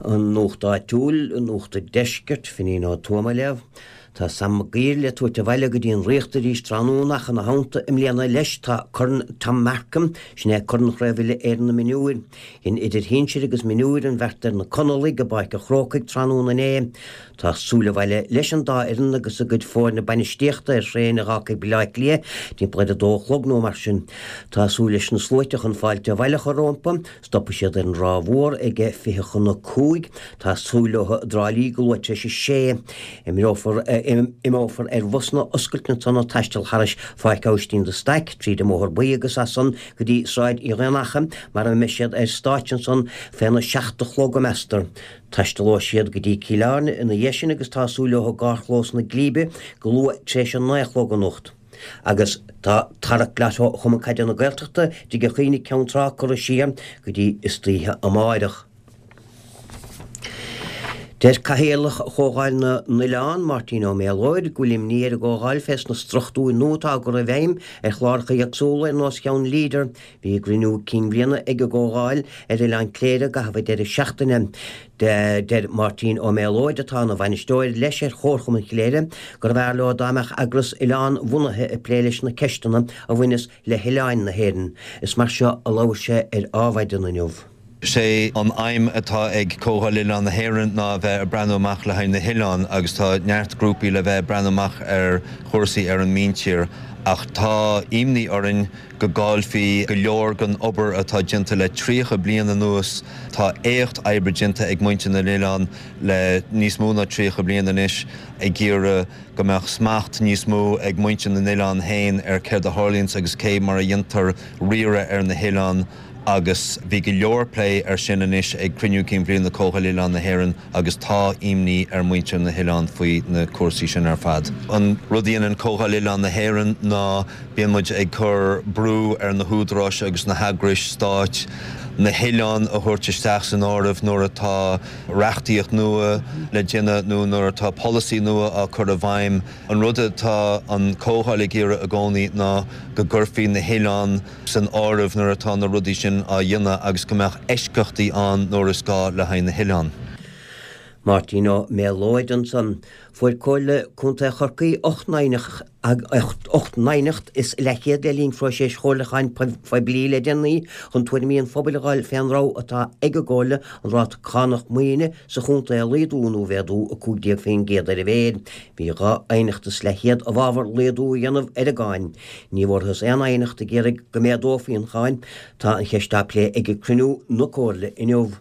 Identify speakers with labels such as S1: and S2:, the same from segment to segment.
S1: An Nuacht Áitiúil, Nuacht an Deiscirt, Finín Ó Tuama á léamh. Tá Sam Maguire le tabhairt abhaile go dtí an Ríocht arís tráthnóna ach ina theannta i mbliana leis tá Corn Tom Markham, sin é Corn Chraobh Uile-Éireann na Mionúir. Dhein idir shinsir agus mionúir an bheart ar na Conallaigh i bPáirc an Chrócaigh tráthnóna inné. Tá súil abhaile leis an dá fhoireann agus a gcuid foirne bainistíochta ar thraein a dh'fhágfaidh Baile Átha Cliath timpeall ar a dó a chlog nó mar sin. Tá súil leis na sluaite chun fáilte abhaile a chur rompu. Stopfaidh siad ar an Ráth Mhór ag 4:40. Tá súil leo i dTrá Lí go luath tar éis a sé. Imeofar imeofar ar bhusanna oscailte ansan ag taisteal thairis Pháirc Aibhistín de Staic, tríd an mBóthar Buí agus as san go dtí Sráid Uí Dhaonacha mar a mbeidh siad ar stáitse ansan féna seacht a chlog, meastar. Taistealóidh siad go dtí Cill Airne ina dhiaidh sin agus tá súil leo i gcarrchlós na Glíbe go luath tar éis a naoi a chlog anocht. Agus tá tarrac Lotto Chumann Caide na Gaeltachta i dTigh Chaoin i gCeann Trá curtha siar go dtí istoíche amáireach. Deir Cathaoirleach Chomhdháil na nOileán, Máirtín Ó Méalóid, go bhfuil imní ar an gComhdháil fés na struchtúir nua atá á gcur i bhfeidhm ar chláracha éagsúla ar nós cheann Leader. Bhí cruinniú cinn bhliana ag an gComhdháil ar Oileán Cléire i gcaitheamh an deireadh seachtaine. Deir Máirtín Ó Méalóid, atá ina bhainisteoir leis ar Chomharchumann Chléire, gurbh fhearr leo dá mbeadh eagras oileán-bhunaithe ag plé leis na ceisteanna a bhaineas le hoileáin na hÉireann. Is mar seo a labhair sé ar Adhmhaidin inniu.
S2: Sé an aidhm atá ag Comhdháil Oileán na hÉireann ná a bheith ag breathnú amach le haghaidh na hoileán agus tá neart grúpaí le bheith ag breathnú amach ar chúrsaí ar an míntír ach tá imní orainn go gcaillfí go leor den obair atá déanta le 30 bliain anuas. Tá éacht oibre déanta ag muintir na n-oileán le níos mó ná 30 bliain anois ag iarraidh go mbeadh smacht níos mó ag muintir na n-oileán féin ar céard a tharlaíonns agus cé mar a dhéantar riaradh ar na hoileáin agus bhí go leor plé ar sin anois ag Cruinniú Cinn Bhliana Comhdháil Oileán na hÉireann agus tá imní ar muintir na hoileán faoi na cúrsaí sin ar fad. An rud a dhéanann Comhdháil Oileán na hÉireann ná Bíonn muid ag cur brú ar na húdaráis agus na heagrais stáit na hoileáin a thabhairt isteach san áireamh nuair atá reachtaíocht nua le déanamh nó nuair atá polasaí nua á cur i bhfeidhm. An rud atá an Comhdháil ag iarraidh i gcónaí ná go gcuirfí na hoileáin san áireamh nuair atá na rudaí sin á dhéanamh agus go mbeadh eisceachtaí ann nuair is gá le haghaidh na hoileán.
S1: Máirtín Ó Méalóid ansan. Fuair Comhairle Contae Chorcaí 8 n-aighneacht is leathchéad le linn phróiseas chomhairliúcháin phoiblí le déanaí chun tuairimí an phobail a fháil fén rogha atá ag an gComhairle an ráta cánach maoine sa chontae a laghdú nó a mhéadú 15% ar a mhéid. Bhí dhá aighneacht is leathchéad i bhfabhar laghdú a dhéanamh ar an gcáin. Ní bhfuarthas aon aighneacht ag iarraidh go méadófaí an cháin. Tá an cheist á plé ag cruinniú na Comhairle inniu.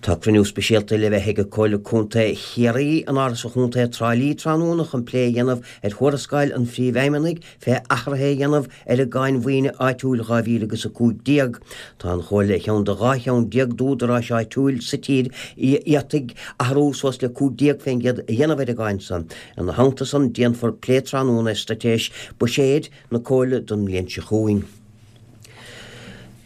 S1: Tá cruinniú speisialta le bheith ag Comhairle Contae Chiarraí in Áras an Chontae Trá Lí tráthnóna chun plé a dhéanamh ar thuarascáil an Phríomhfheidhmeannaigh fé athruithe a dhéanamh ar an gCáin Mhaoine Áitiúil 2015. Tá an Chomhairle ar cheann de 12 cheann d'údaráis áitiúil sa tír a fhéadfaidh athrú suas le 15% a dhéanamh ar an gcáin san. Ina theannta san déanfar plé tráthnóna ar straitéis buiséid na Comhairle don mbliain seo chugainn.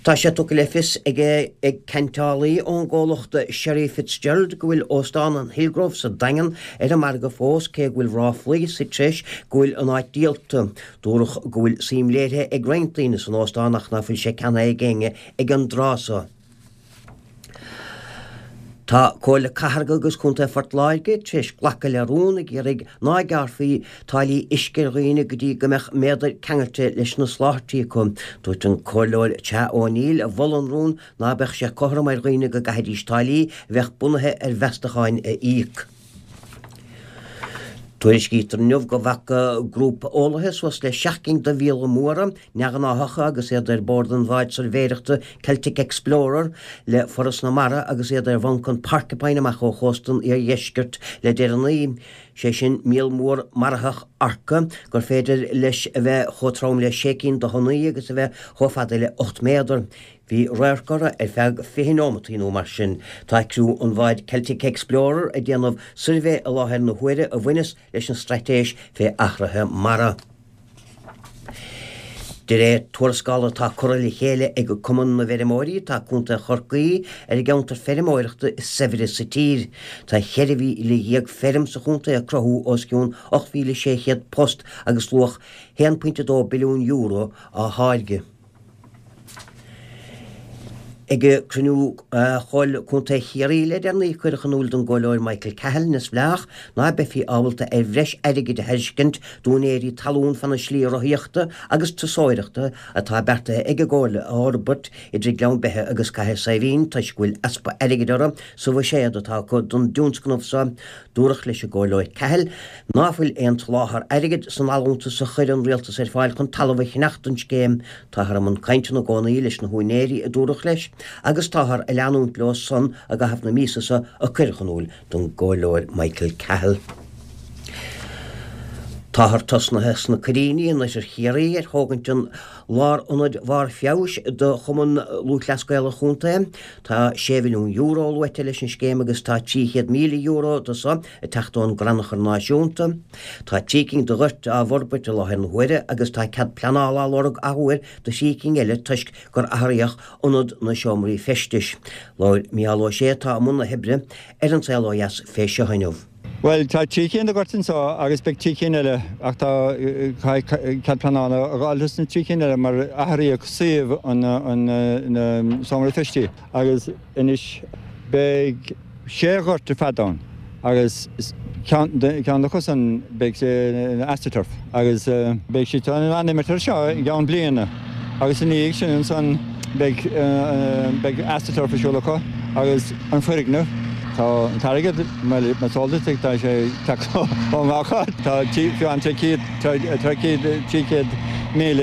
S1: Tá sé tugtha le fios ag ag ceantálaí ón gcomhlacht Sherry FitzGerald go bhfuil Óstán an Hillgrove sa Daingean ar an margadh fós cé go bhfuil ráflaí sa treis go bhfuil an áit díolta. Dúradh go bhfuil suim léirithe ag roinnt daoine san óstán ach ná fuil sé ceannaithe ag éinne ag an dtráth so. Tá Comhairle Cathrach agus Contae Phort Láirge tar éis glacadh le rún ag iarraidh ná gearrfaí táillí uisce ar dhaoine go dtí go mbeadh méadar ceangailte leis na soláthairtí acu. Dúirt an Comhairleoir Cha O'Neill a mhol an rún ná beadh sé cothrom ar dhaoine go gcaithfidís táillí a bheadh bunaithe ar mheastacháin a íoc. Tuairiscítear inniu go bhfaca grúpa eolaithe suas le 7 gcinn de mhíola móra neamhghnáthacha agus iad ar bord an bháid suirbhéireachta Celtic Explorer le Foras na Mara agus iad ar bhanc an Porcupine amach ó chósta an iardheiscirt le deireanaí, sé sin míol mór maraitheach orca gur féidir leis a bheith chomh trom le sé cinn de thonnaí agus a bheith chomh fada le 8 méadar. Bhí radharc orthu ar feadh 20 neomataí nó mar sin. Tá criú an bháid Celtic Explorer ag déanamh suirbhé i láthair na huaire a bhaineas leis an straitéis fé athruithe mara. De réir tuarascála atá curtha le chéile ag Cumann na bhFeirmeoirí, tá Contae Chorcaí ar an gceantar feirmeoireachta is saibhre sa tír. Tá 14,000 feirm sa chontae ag cruthú os cionn 8,600 post agus luach €1.2 billiún á tháirgeadh. Ag cruinniú Chomhairle Contae Chiarraí le deireanaí cuireadh in iúl don gComhairleoir Michael Cahill, Neamhspleách, ná beifí ábalta ar bhreis airgid a thairiscint d'úinéirí talún fana slí rothaíochta agus turasóireachta atá beartaithe ag an gComhairle a fhorbairt idir Gleann Beithe agus Cathair Saidhbhín toisc go bhfuil easpa airgid orthu sa bhuiséad atá acu don dtionscnamh so. Dúradh leis an gComhairleoir Cahill ná fuil aon tsoláthar airgid san allúntas a chuir an Rialtas ar fáil chun talamh a cheannach don scéim. Táthar i mbun cainteanna i gcónaí leis na húinéirí, a dúradh leis, agus táthar ag leanúint leo san i gcaitheamh na míosa seo, a cuireadh in iúl don gComhairleoir Michael Cahill. Táthar tosnaithe sna Coiríní in oirthear Chiarraí ar thógaint an Lárionaid Bharr Feabhais do Chumann Lúthchleas Gael an chontae. Tá €6 mhilliún luaite leis an scéim agus tá €300,000 de so ag teacht ón gCrannchur Náisiúnta. Tá trí cinn de ghoirt á bhforbairt i láthair na huaire agus tá cead pleanála á lorg athuair do thrí cinn eile toisc gur athraíodh ionad na seomraí feistis. Labhair Micheál Ó Sé atá i mbun na hoibre ar An Saol Ó Dheas fé seo inniu.
S3: Bhuel, tá trí cinn de ghoirt anseo agus beidh trí cinn eile ach tá cead pleanála a dh'fháil dos na trí cinn eile mar athraíodh suíomh an seomra feistí agus anois beidh sé ghort ar fad ann agus ceann acu san beidh sé ina astroturf agus beidh siad in ann imirt air seo i gceann bliana agus ina dhiaidh sin ansan beidh beidh astroturf ar siúl acu agus an foirgneamh tá an t-airgead mar is eol duit tá sé ag teacht ó ngach áit tá fiú an 300,000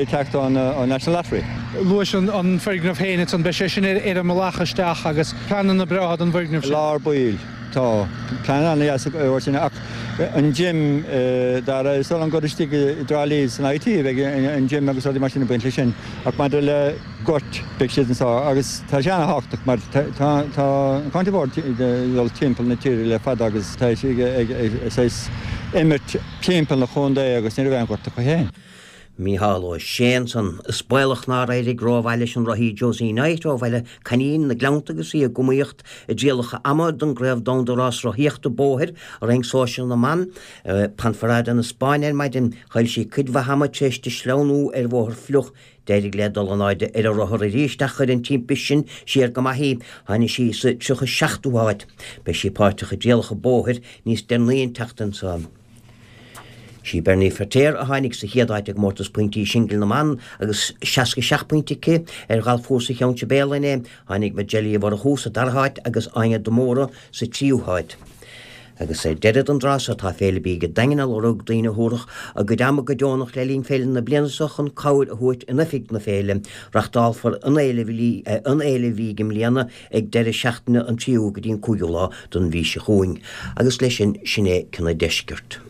S3: ag teacht ón National Lottery.
S4: Luais an foirgneamh féin ansan beidh sé sin ar an mbealach isteach agus pleananna breátha don bhfoirgneamh sin.
S3: Lár baill. Tá plean an-dheas acu sin ach an gym Dara, is dóigh liom gur istigh i dTrá Lí san IT a bheidh an gym agus rudaí mar sin ag baint leis sin ach maidir le goirt beidh siad anseo agus tá sé an-thábhachtach mar tá an County Board ag dul timpeall na tíre le fada agus tá siad ag saghas imirt timpeall na chontae agus ní raibh aon ghort acu féin.
S1: Mícheál Ó Sé ansan. Is baolach nár éirigh rómhaith leis an rothaí Josie Knight ó Bhaile Coinín, na Gleannta agus í ag iomaíocht i dtrialacha ama don gCraobh Domhanda Rás-Rothaíochta Bóthair i roinn sóisir na mban i Ponferrada na Spáinne ar maidin. Chaill sí cuid mhaith ama tar éis di sleamhnú ar bhóthar fliuch. D'éirigh léi dul in airde ar a rothar arís ach chuir an timpiste sin siar go maith í. Tháinig sí sa 37ú háit. Beidh sí páirteach i dtrialacha bóthair níos deireanaí an tseachtain seo. Sí Bernie Feiritéar a tháinig sa chéad áit i gcomórtas pointí singil na mban agus 67 pointe aici ar ghalfchúrsa Cheann Sibéal inné. Tháinig Majella Uí Mhurchú sa dara háit agus Áine de Mórdha sa tríú háit. Agus ar deireadh den dtráth seo tá Féile Bídh an Daingin ag lorg daoine a thabharfadh a gcuid ama go deonach le linn féile na bliana seo chun cabhair a thabhairt in oifig na féile. Reachtálfar an Fhéile Bhídh i mbliana ag deireadh seachtaine an 3ú go dtí an 5ú lá den mhí seo chugainn. Agus leis sin, sin é Cionn an Deiscirt.